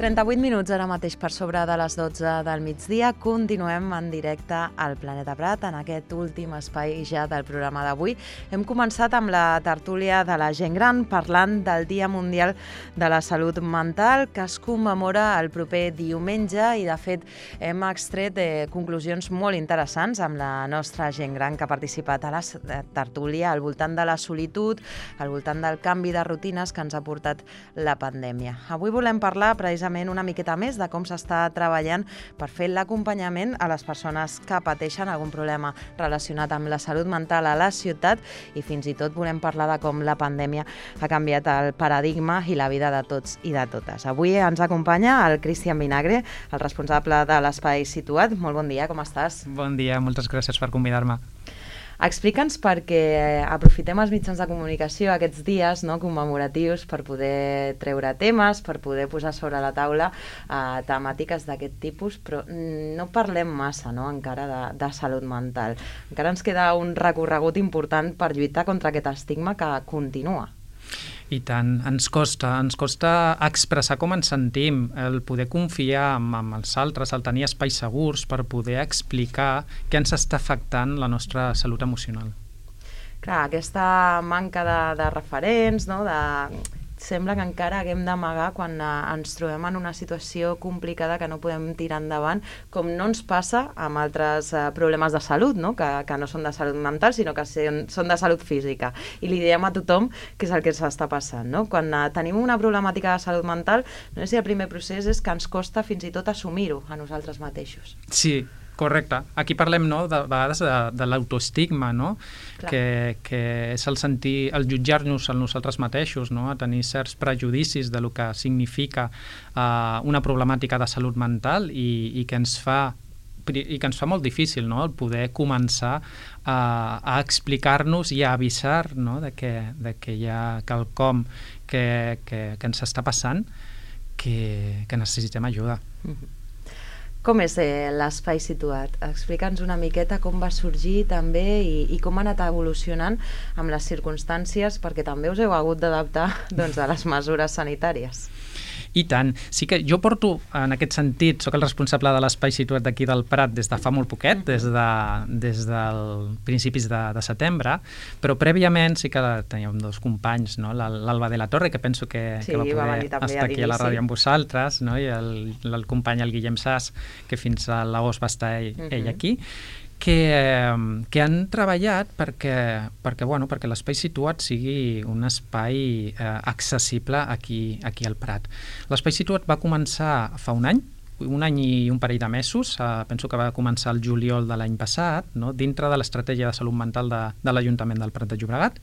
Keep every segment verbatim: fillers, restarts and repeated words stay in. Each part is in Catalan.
trenta-vuit minuts ara mateix per sobre de les dotze del migdia. Continuem en directe al Planeta Prat, en aquest últim espai ja del programa d'avui. Hem començat amb la tertúlia de la gent gran, parlant del Dia Mundial de la Salut Mental, que es commemora el proper diumenge, i de fet hem extret eh, conclusions molt interessants amb la nostra gent gran que ha participat a la tertúlia al voltant de la solitud, al voltant del canvi de rutines que ens ha portat la pandèmia. Avui volem parlar precisament una miqueta més de com s'està treballant per fer l'acompanyament a les persones que pateixen algun problema relacionat amb la salut mental a la ciutat, i fins i tot volem parlar de com la pandèmia ha canviat el paradigma i la vida de tots i de totes. Avui ens acompanya el Cristian Vinagre, el responsable de l'Espai Situat. Molt bon dia, com estàs? Bon dia, moltes gràcies per convidar-me. Explica'ns, perquè aprofitem els mitjans de comunicació aquests dies, no, commemoratius, per poder treure temes, per poder posar sobre la taula eh, temàtiques d'aquest tipus, però no parlem massa, no, encara de, de salut mental. Encara ens queda un recorregut important per lluitar contra aquest estigma que continua. I tant, ens costa, ens costa expressar com ens sentim, el poder confiar en, en els altres, el tenir espais segurs per poder explicar què ens està afectant la nostra salut emocional. Clar, aquesta manca de, de referents, no, de... sembla que encara haguem d'amagar quan eh, ens trobem en una situació complicada que no podem tirar endavant, com no ens passa amb altres eh, problemes de salut, no? que, que no són de salut mental, sinó que són, són de salut física. I li diem a tothom que és el que s'està passant. No? Quan eh, tenim una problemàtica de salut mental, no sé si el primer procés és que ens costa fins i tot assumir-ho a nosaltres mateixos. Sí, correcte. Aquí parlem, no, de vegades de, de l'autoestigma, no? que, que és el sentir, el jutjar-nos a nosaltres mateixos, no? A tenir certs prejudicis de lo que significa uh, una problemàtica de salut mental i, i que ens fa i que ens fa molt difícil, no? El poder començar a, a explicar-nos i a avisar, no? de, que, de que hi ha quelcom que, que, que ens està passant, que, que necessitem ajuda. Mm-hmm. Com és eh, l'Espai Situat? Explica'ns una miqueta com va sorgir també i, i com ha anat evolucionant amb les circumstàncies, perquè també us heu hagut d'adaptar doncs, a les mesures sanitàries. I tant. Sí que jo porto, en aquest sentit, sóc el responsable de l'Espai Situat d'aquí del Prat des de fa molt poquet, des, de, des del principis de, de setembre, però prèviament sí que teníem dos companys, no? l'Alba de la Torre, que penso que, sí, que va poder va estar aquí a la ràdio amb vosaltres, no? I el, el company, el Guillem Sas, que fins a l'agost va estar ell, uh-huh. ell aquí, que, que han treballat perquè, perquè, bueno, perquè l'Espai Situat sigui un espai eh, accessible aquí, aquí al Prat. L'Espai Situat va començar fa un any, un any i un parell de mesos, eh, penso que va començar el juliol de l'any passat, no? Dintre de l'estratègia de salut mental de, de l'Ajuntament del Prat de Llobregat,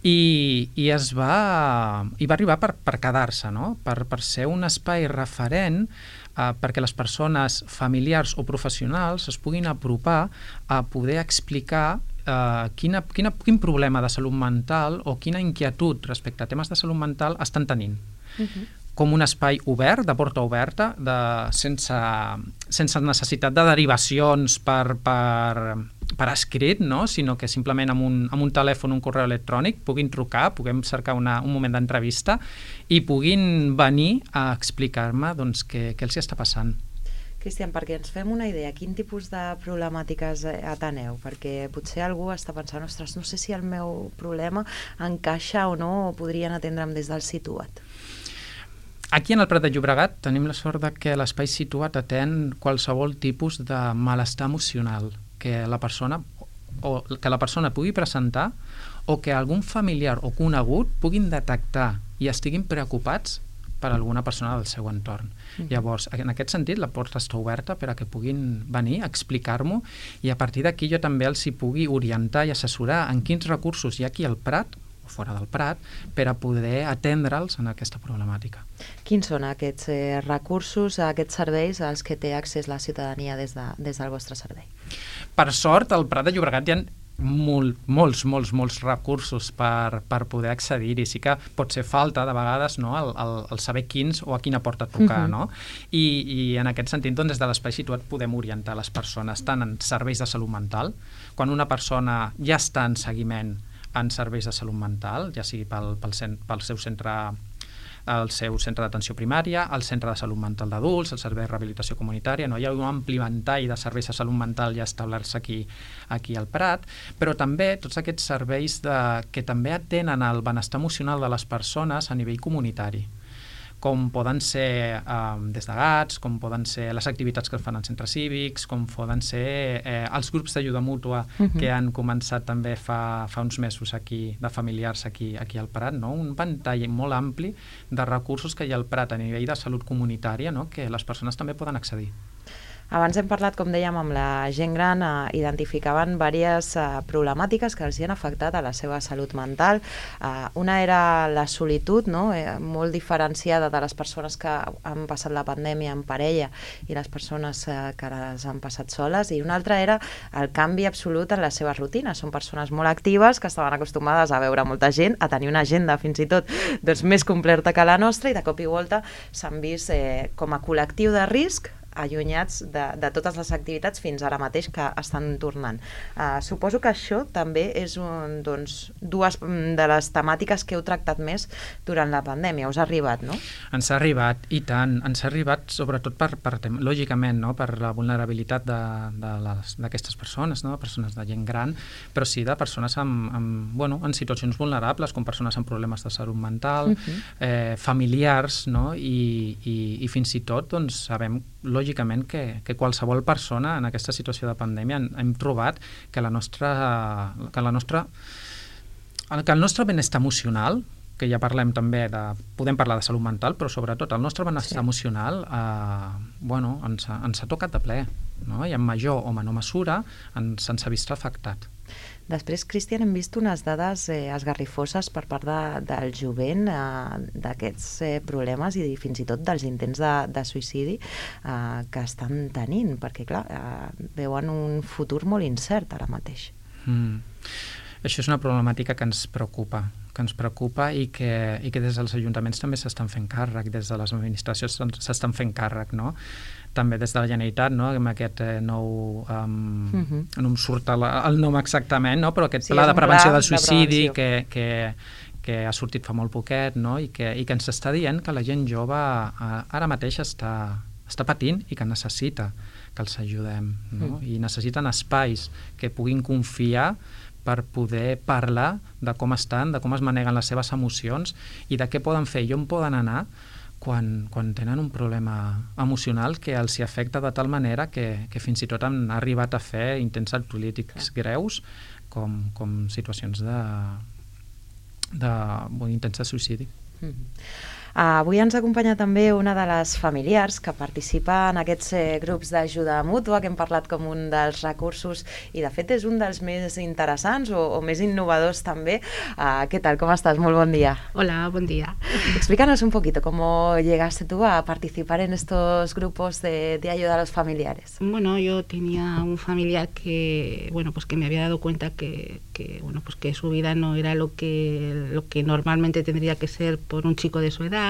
i, i es va, i va arribar per, per quedar-se, no? per, per ser un espai referent Uh, perquè les persones familiars o professionals es puguin apropar a poder explicar uh, quina, quina, quin problema de salut mental o quina inquietud respecte a temes de salut mental estan tenint. Uh-huh. Com un espai obert, de porta oberta, de, sense, sense necessitat de derivacions per, per, per escrit, no? Sinó que simplement amb un, amb un telèfon, un correu electrònic, puguin trucar, puguem cercar una, un moment d'entrevista i puguin venir a explicar-me doncs, què, què els està passant. Cristian, perquè ens fem una idea, quin tipus de problemàtiques ateneu? Perquè potser algú està pensant, ostres, no sé si el meu problema encaixa o no, o podrien atendre'm des del Situat. Aquí en el Prat de Llobregat tenim la sort de que l'Espai Situat atén qualsevol tipus de malestar emocional que la persona o que la persona pugui presentar o que algun familiar o conegut puguin detectar i estiguin preocupats per alguna persona del seu entorn. Mm. Llavors, en aquest sentit, la porta està oberta per a que puguin venir a explicar-m'ho i a partir d'aquí jo també els hi pugui orientar i assessorar en quins recursos hi ha aquí al Prat o fora del Prat, per a poder atendre'ls en aquesta problemàtica. Quins són aquests eh, recursos, aquests serveis als que té accés la ciutadania des, de, des del vostre servei? Per sort, al Prat de Llobregat hi ha molt, molts, molts, molts recursos per, per poder accedir-hi. Sí que pot ser falta, de vegades, no? el, el, el saber quins o a quina porta trucar. Uh-huh. No? I, I en aquest sentit, doncs, des de l'Espai Situat podem orientar les persones tant en serveis de salut mental, quan una persona ja està en seguiment en serveis de salut mental, ja sigui pel, pel, cent, pel seu centre el seu centre d'atenció primària, el centre de salut mental d'adults, el servei de rehabilitació comunitària, no? Hi ha un ampli ventall de serveis de salut mental ja establerts aquí, aquí al Prat, però també tots aquests serveis de, que també atenen al benestar emocional de les persones a nivell comunitari, com poden ser eh, des de gats, com poden ser les activitats que es fan en centres cívics, com poden ser eh, els grups d'ajuda mútua uh-huh. que han començat també fa, fa uns mesos aquí, de familiars aquí, aquí al Prat, no? Un ventall molt ampli de recursos que hi ha al Prat a nivell de salut comunitària, no? Que les persones també poden accedir. Abans hem parlat, com dèiem, amb la gent gran, eh, identificaven diverses eh, problemàtiques que els hi han afectat a la seva salut mental. Eh, una era la solitud, no? eh, molt diferenciada de les persones que han passat la pandèmia en parella i les persones eh, que les han passat soles, i una altra era el canvi absolut en les seves rutines. Són persones molt actives que estaven acostumades a veure molta gent, a tenir una agenda fins i tot doncs, més completa que la nostra, i de cop i volta s'han vist eh, com a col·lectiu de risc allunyats de, de totes les activitats fins ara mateix que estan tornant. Uh, suposo que això també és un, doncs, dues de les temàtiques que heu tractat més durant la pandèmia. Us ha arribat, no? Ens ha arribat, i tant. Ens ha arribat sobretot per, per lògicament, no? Per la vulnerabilitat d'aquestes persones, no? Persones de gent gran, però sí de persones amb, amb, bueno, en situacions vulnerables, com persones amb problemes de salut mental, uh-huh. eh, familiars, no? I, i, i fins i tot doncs, sabem lògicament que, que qualsevol persona en aquesta situació de pandèmia hem, hem trobat que la nostra que la nostra que el nostre benestar emocional, que ja parlem també de, podem parlar de salut mental, però sobretot el nostre benestar sí. emocional eh, bueno, ens, ens ha tocat de ple, no? I en major o menor mesura ens, ens ha vist afectat. Després, Cristian, hem vist unes dades eh, esgarrifoses per part de, del jovent eh, d'aquests eh, problemes i fins i tot dels intents de, de suïcidi eh, que estan tenint, perquè clar, eh, veuen un futur molt incert ara mateix. Mm. Això és una problemàtica que ens preocupa, que ens preocupa i que, i que des dels ajuntaments també s'estan fent càrrec, des de les administracions s'estan fent càrrec, no? També des de la Generalitat, no? Amb aquest eh, nou... Um, uh-huh. No em surt el, el nom exactament, no? Però aquest sí, pla de prevenció del suïcidi de que, que, que ha sortit fa molt poquet, no? I que, i que ens està dient que la gent jove eh, ara mateix està, està patint i que necessita que els ajudem, no? Uh-huh. I necessiten espais que puguin confiar per poder parlar de com estan, de com es maneguen les seves emocions i de què poden fer i on poden anar quan, quan tenen un problema emocional que els hi afecta de tal manera que, que fins i tot han arribat a fer intents autolítics greus com, com situacions de, de bon, intents de suïcidi. Mm-hmm. Uh, avui ens acompanya també una de les familiars que participa en aquests eh, grups d'ajuda mútua, que hem parlat com un dels recursos i de fet és un dels més interessants o, o més innovadors també. Uh, ¿Qué tal? ¿Cómo estás? Muy buen día. Hola, buen día. Explícanos un poquito cómo llegaste tú a participar en estos grupos de, de ayuda a los familiares. Bueno, yo tenía un familiar que, bueno, pues que me había dado cuenta que, que, bueno, pues que su vida no era lo que, lo que normalmente tendría que ser por un chico de su edad.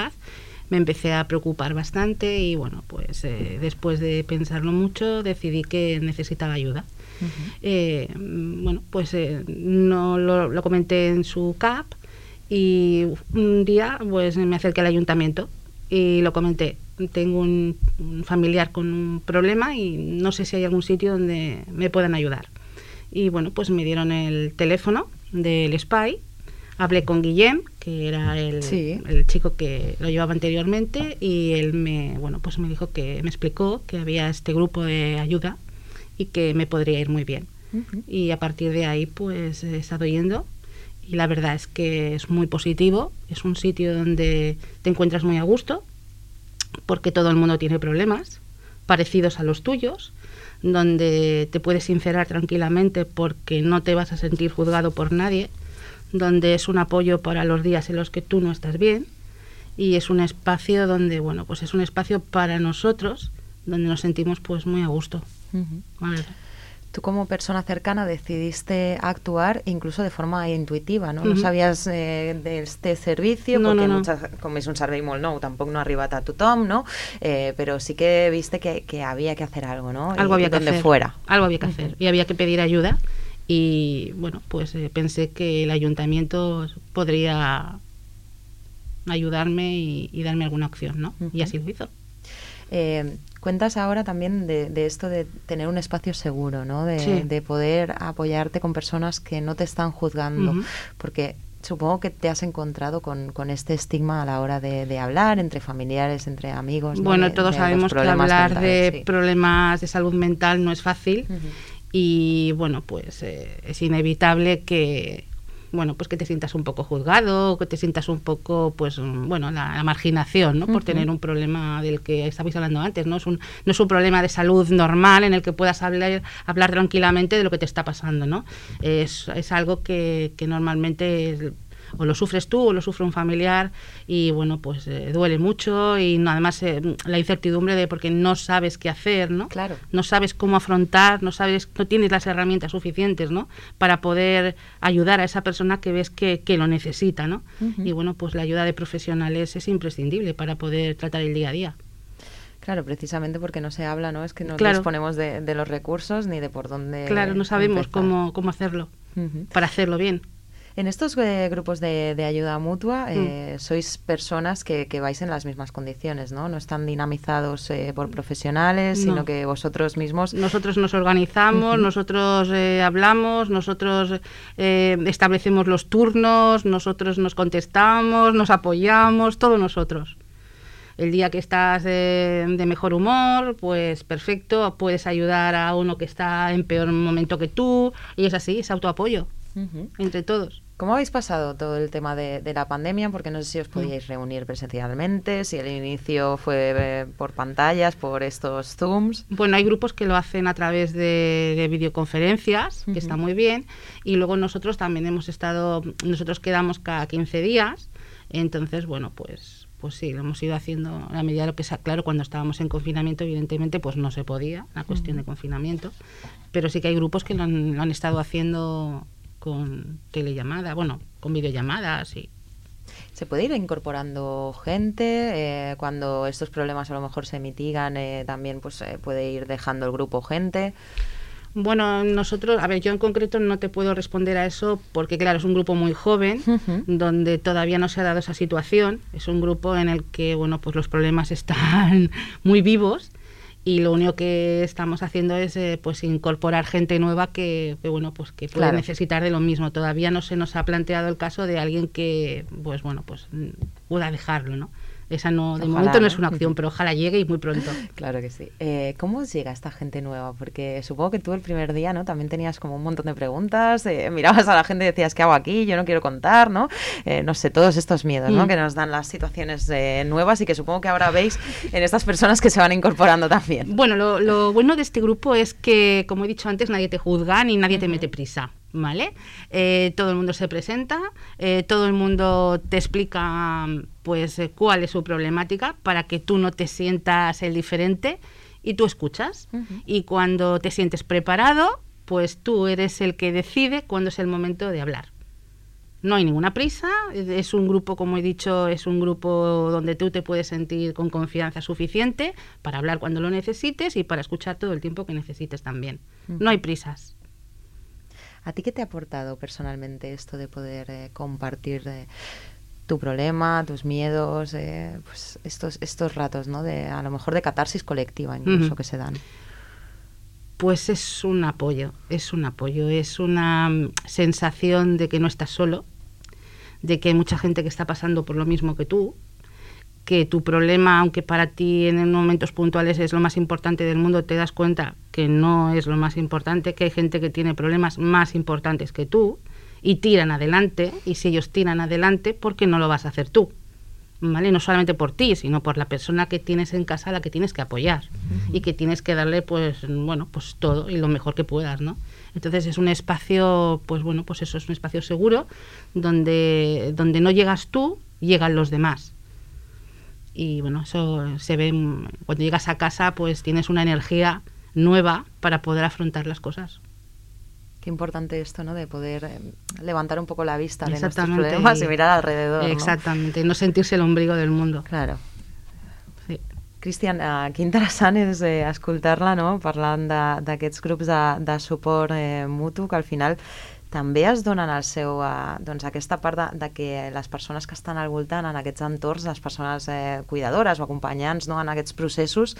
Me empecé a preocupar bastante y bueno, pues eh, después de pensarlo mucho decidí que necesitaba ayuda. Uh-huh. eh, bueno, pues eh, no lo, lo comenté en su C A P y un día pues me acerqué al ayuntamiento y lo comenté. Tengo un, un familiar con un problema y no sé si hay algún sitio donde me puedan ayudar. Y bueno, pues me dieron el teléfono del S P I. Hablé con Guillem, que era el, sí. el chico que lo llevaba anteriormente, y él me, bueno, pues me dijo que me explicó que había este grupo de ayuda y que me podría ir muy bien. Uh-huh. Y a partir de ahí pues he estado yendo y la verdad es que es muy positivo, es un sitio donde te encuentras muy a gusto porque todo el mundo tiene problemas parecidos a los tuyos, donde te puedes sincerar tranquilamente porque no te vas a sentir juzgado por nadie, donde es un apoyo para los días en los que tú no estás bien y es un espacio donde, bueno, pues es un espacio para nosotros donde nos sentimos pues muy a gusto. Uh-huh. Vale. Tú como persona cercana decidiste actuar incluso de forma intuitiva, no? Uh-huh. No sabías eh, d'este servicio, no, perquè no, no. Muchas, com és un servei molt nou, tampoc no ha arribat a tothom, no? Eh, pero sí que viste que, que había que hacer algo, ¿no? Algo y, había que donde hacer. fuera. Algo había que hacer. Uh-huh. Y había que pedir ayuda. Y bueno, pues eh, pensé que el ayuntamiento podría ayudarme y, y darme alguna opción, ¿no? Uh-huh. Y así lo hizo. Eh, cuentas ahora también de, de esto de tener un espacio seguro, ¿no? De, sí. de poder apoyarte con personas que no te están juzgando, uh-huh. porque supongo que te has encontrado con, con este estigma a la hora de, de hablar entre familiares, entre amigos. Bueno, ¿no? de, todos de sabemos que hablar mentales, de sí. problemas de salud mental no es fácil, uh-huh. y bueno, pues eh, es inevitable que bueno, pues que te sientas un poco juzgado, que te sientas un poco, pues, bueno, la, la marginación, ¿no? Por uh-huh. tener un problema del que estabais hablando antes, ¿no? Es un, no es un problema de salud normal en el que puedas hablar, hablar tranquilamente de lo que te está pasando, ¿no? Es, es algo que, que normalmente es, o lo sufres tú o lo sufre un familiar y bueno, pues eh, duele mucho y no, además eh, la incertidumbre de porque no sabes qué hacer, ¿no? Claro. No sabes cómo afrontar, no sabes, no tienes las herramientas suficientes, ¿no? Para poder ayudar a esa persona que ves que, que lo necesita, ¿no? Uh-huh. Y bueno, pues la ayuda de profesionales es imprescindible para poder tratar el día a día. Claro, precisamente porque no se habla, ¿no? Es que no claro. disponemos de, de los recursos ni de por dónde Claro, no sabemos empezar. cómo, cómo hacerlo, uh-huh. para hacerlo bien. En estos eh, grupos de, de ayuda mutua eh, mm. sois personas que, que vais en las mismas condiciones, ¿no? No están dinamizados eh, por profesionales, no. sino que vosotros mismos... Nosotros nos organizamos, uh-huh. nosotros eh, hablamos, nosotros eh, establecemos los turnos, nosotros nos contestamos, nos apoyamos, todos nosotros. El día que estás de, de mejor humor, pues perfecto, puedes ayudar a uno que está en peor momento que tú, y es así, es autoapoyo, uh-huh. entre todos. ¿Cómo habéis pasado todo el tema de, de la pandemia? Porque no sé si os podíais reunir presencialmente, si el inicio fue eh, por pantallas, por estos Zooms. Bueno, hay grupos que lo hacen a través de, de videoconferencias, uh-huh. que está muy bien, y luego nosotros también hemos estado, nosotros quedamos cada quince días, entonces, bueno, pues, pues sí, lo hemos ido haciendo a la medida de lo que sea. Claro, cuando estábamos en confinamiento, evidentemente, pues no se podía, la cuestión uh-huh. de confinamiento, pero sí que hay grupos que lo han, lo han estado haciendo con telellamada, bueno, con videollamadas y... ¿Se puede ir incorporando gente? Eh, cuando estos problemas a lo mejor se mitigan, eh, también pues eh, puede ir dejando el grupo gente. Bueno, nosotros, a ver, yo en concreto no te puedo responder a eso porque, claro, es un grupo muy joven, uh-huh. donde todavía no se ha dado esa situación. Es un grupo en el que, bueno, pues los problemas están muy vivos. Y lo único que estamos haciendo es eh, pues incorporar gente nueva que, que bueno, pues que puede claro. necesitar de lo mismo. Todavía no se nos ha planteado el caso de alguien que pues bueno, pues pueda dejarlo, ¿no? Esa no, de ojalá, momento no es una opción, pero ojalá llegue y muy pronto. Claro que sí. Eh, ¿Cómo os llega esta gente nueva? Porque supongo que tú el primer día, ¿no? También tenías como un montón de preguntas, eh, mirabas a la gente y decías, ¿qué hago aquí? Yo no quiero contar, ¿no? Eh, no sé, todos estos miedos, ¿no? Mm. Que nos dan las situaciones eh, nuevas y que supongo que ahora veis en estas personas que se van incorporando también. Bueno, lo, lo bueno de este grupo es que, como he dicho antes, nadie te juzga ni nadie uh-huh. te mete prisa. ¿Vale? Eh, todo el mundo se presenta, eh, todo el mundo te explica pues eh, cuál es su problemática para que tú no te sientas el diferente y tú escuchas. Uh-huh. Y cuando te sientes preparado, pues tú eres el que decide cuándo es el momento de hablar. No hay ninguna prisa, es un grupo, como he dicho, es un grupo donde tú te puedes sentir con confianza suficiente para hablar cuando lo necesites y para escuchar todo el tiempo que necesites también. Uh-huh. No hay prisas. ¿A ti qué te ha aportado personalmente esto de poder eh, compartir eh, tu problema, tus miedos, eh, pues estos estos ratos, ¿no? De a lo mejor de catarsis colectiva incluso uh-huh. que se dan? Pues es un apoyo, es un apoyo, es una sensación de que no estás solo, de que hay mucha gente que está pasando por lo mismo que tú, que tu problema, aunque para ti en momentos puntuales es lo más importante del mundo, te das cuenta que no es lo más importante, que hay gente que tiene problemas más importantes que tú y tiran adelante, y si ellos tiran adelante, ¿por qué no lo vas a hacer tú? ¿Vale? No solamente por ti, sino por la persona que tienes en casa a la que tienes que apoyar uh-huh. y que tienes que darle, pues, bueno, pues todo y lo mejor que puedas, ¿no? Entonces es un espacio, pues bueno, pues eso es un espacio seguro donde, donde no llegas tú, llegan los demás. Y bueno, eso se ve cuando llegas a casa, pues tienes una energía nueva para poder afrontar las cosas. Qué importante esto, ¿no? De poder eh, levantar un poco la vista de nuestros problemas y, y mirar alrededor, ¿no? Exactamente, no sentirse el ombligo del mundo. Claro. Sí. Cristian, uh, que interessant és eh, escoltar-la, no? Parlant d'aquests grups de, de suport eh, mutu, que al final també es donen el seu, eh, doncs aquesta part de, de que les persones que estan al voltant en aquests entorns, les persones eh, cuidadores o acompanyants, no, en aquests processos,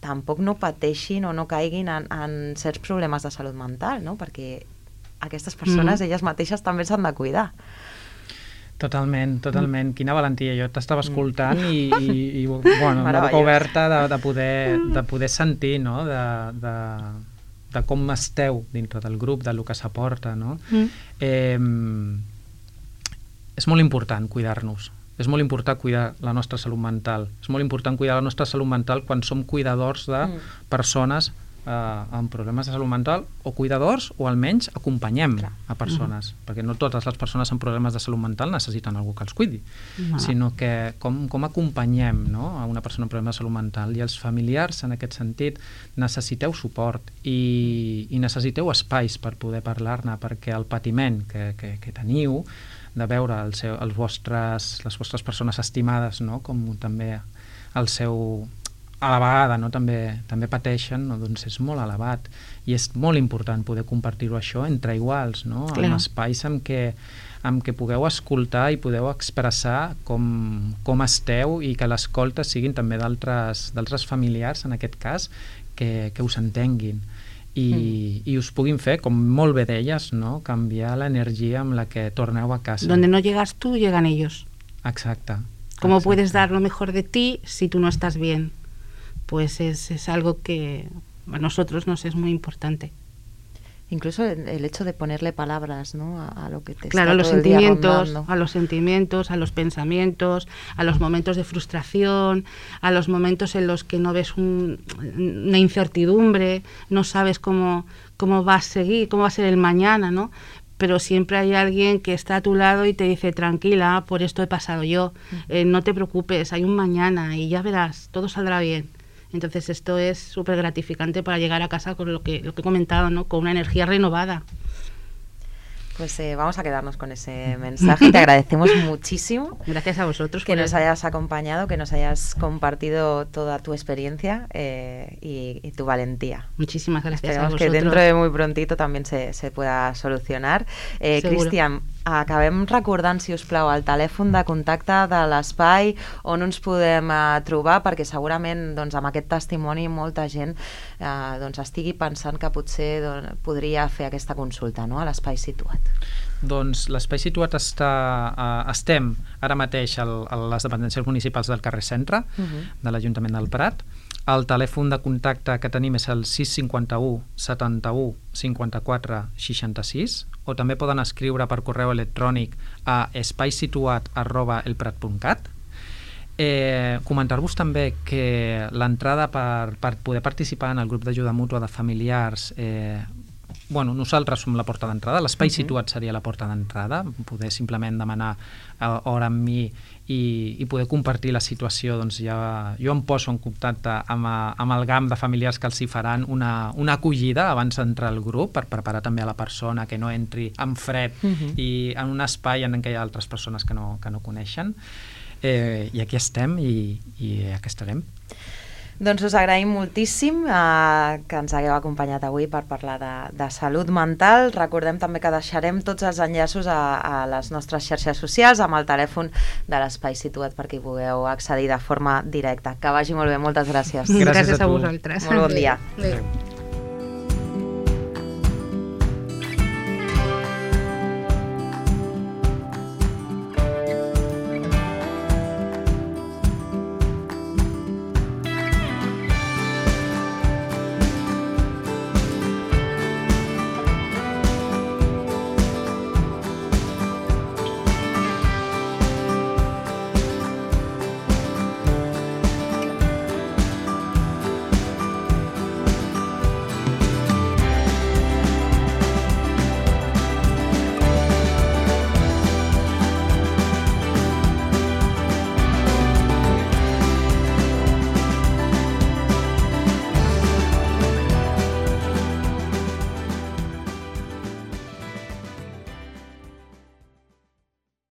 tampoc no pateixin o no caiguin en, en certs problemes de salut mental, no? Perquè aquestes persones, mm. elles mateixes també s'han de cuidar. Totalment, totalment. Mm. Quina valentia. Jo t'estava escoltant mm. i, i, i bueno, amb la boca oberta de, de, poder, de poder sentir, no?, de, de, de com esteu dintre del grup, del que s'aporta, no? Mm. Eh, és molt important cuidar-nos. És molt important cuidar la nostra salut mental. És molt important cuidar la nostra salut mental quan som cuidadors de mm. persones eh, amb problemes de salut mental, o cuidadors, o almenys acompanyem Clar. a persones, mm. perquè no totes les persones amb problemes de salut mental necessiten algú que els cuidi, no. sinó que com, com acompanyem, no?, a una persona amb problemes de salut mental, i els familiars en aquest sentit necessiteu suport i, i necessiteu espais per poder parlar-ne, perquè el patiment que, que, que teniu de veure el seu, els vostres, les vostres persones estimades, no?, com també el seu, a la vegada, no?, també, també pateixen, no?, doncs és molt elevat, i és molt important poder compartir-ho això entre iguals, no?, Clar. en espais en què, en què pugueu escoltar i podeu expressar com, com esteu, i que l'escolta siguin també d'altres d'altres familiars, en aquest cas, que, que us entenguin. I, mm. i us puguin fer, com molt bé deies, no?, canviar l'energia amb la que torneu a casa. Donde no llegas tú, llegan ellos. Exacte. ¿Cómo exacte. puedes dar lo mejor de ti si tú no estás bien? Pues es, es algo que a nosotros nos es muy importante. Incluso el hecho de ponerle palabras, ¿no?, a, a lo que te claro, está a los todo el día sentimientos, rondando. a los sentimientos, a los pensamientos, a los momentos de frustración, a los momentos en los que no ves un, una incertidumbre, no sabes cómo, cómo va a seguir, cómo va a ser el mañana, ¿no? Pero siempre hay alguien que está a tu lado y te dice, tranquila, por esto he pasado yo, eh, no te preocupes, hay un mañana y ya verás, todo saldrá bien. Entonces esto es súper gratificante para llegar a casa con lo que, lo que he comentado, ¿no?, con una energía renovada. Pues eh, vamos a quedarnos con ese mensaje. Te agradecemos muchísimo. Gracias a vosotros. Que nos hayas acompañado, que nos hayas compartido toda tu experiencia eh, y, y tu valentía. Muchísimas gracias. Esperemos a vosotros. que dentro de muy prontito també se, se pueda solucionar. Eh, Cristian, acabem recordant, si us plau, el telèfon de contacte de l'espai on ens podem eh, trobar, perquè segurament doncs, amb aquest testimoni molta gent eh, doncs, estigui pensant que potser doncs, podria fer aquesta consulta, no?, a l'espai situat. Doncs l'espai situat està, uh, estem ara mateix al, a les dependències municipals del carrer Centre, uh-huh. de l'Ajuntament del Prat. El telèfon de contacte que tenim és el sis cinquanta-u setanta-u cinquanta-quatre seixanta-sis, o també poden escriure per correu electrònic a espaisituat arroba elprat punt cat. Eh, comentar-vos també que l'entrada per, per poder participar en el grup d'ajuda mútua de familiars, eh, bueno, nosaltres som la porta d'entrada, l'espai uh-huh. situat seria la porta d'entrada, poder simplement demanar hora amb mi i, i poder compartir la situació. Doncs ja, jo em poso en contacte amb, amb el GAM de familiars que els hi faran una, una acollida abans d'entrar al grup, per preparar també a la persona que no entri en fred uh-huh. i en un espai en què hi ha altres persones que no, que no coneixen. Eh, I aquí estem i, i aquí estarem. Doncs us agraïm moltíssim eh, que ens hagueu acompanyat avui per parlar de, de salut mental. Recordem també que deixarem tots els enllaços a, a les nostres xarxes socials amb el telèfon de l'espai situat perquè hi pugueu accedir de forma directa. Que vagi molt bé, moltes gràcies. Gràcies, gràcies a, a vosaltres. Molt bon dia. Adéu.